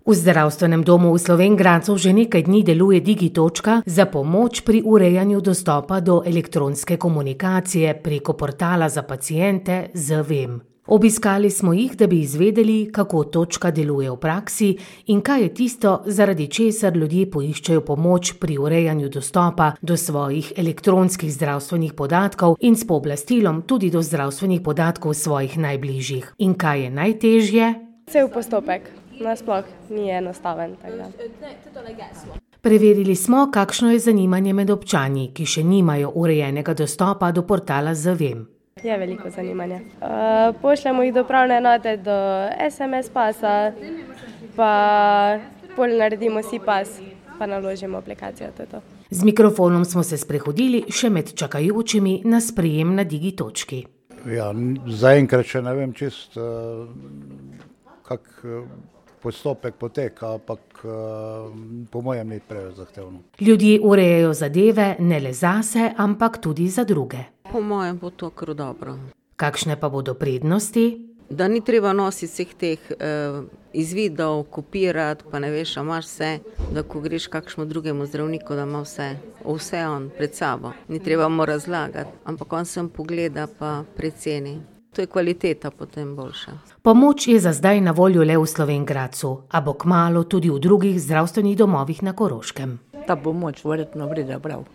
V zdravstvenem domu v Slovenj Gradcu že nekaj dni deluje Digitočka za pomoč pri urejanju dostopa do elektronske komunikacije preko portala za paciente zVem. Obiskali smo jih, da bi izvedeli, kako točka deluje v praksi in kaj je tisto, zaradi česar ljudje poiščejo pomoč pri urejanju dostopa do svojih elektronskih zdravstvenih podatkov in s pooblastilom tudi do zdravstvenih podatkov svojih najbližjih. In kaj je najtežje? Cel postopek nasploh ni enostaven. Preverili smo, kakšno je zanimanje med občani, ki še nimajo urejenega dostopa do portala zVem. Je veliko zanimanja. Pošljemo jih do upravne enote, do SMS pasa, pa pol naredimo si pas, pa naložimo aplikacijo. Z mikrofonom smo se sprehodili še med čakajočimi na sprejem na Digitočki. Ja, zaenkrat še ne vem čist, kak postopek poteka, ampak po mojem ni preveč zahtevno. Ljudje urejajo zadeve ne le zase, ampak tudi za druge. Po mojem bo to kar dobro. Kakšne pa bodo prednosti? Da ni treba nositi vseh teh izvidov, kopirati, pa ne veš, a imaš vse, da ko greš kakšnemu drugemu zdravniku, da ima vse on pred sabo. Ni treba mu razlagati, ampak on sem pogleda pa preceni. To je kvaliteta potem boljša. Pomoč je za zdaj na voljo le v Slovenj Gradcu, a bo kmalu tudi v drugih zdravstvenih domovih na Koroškem. Ta pomoč verjetno pride prav.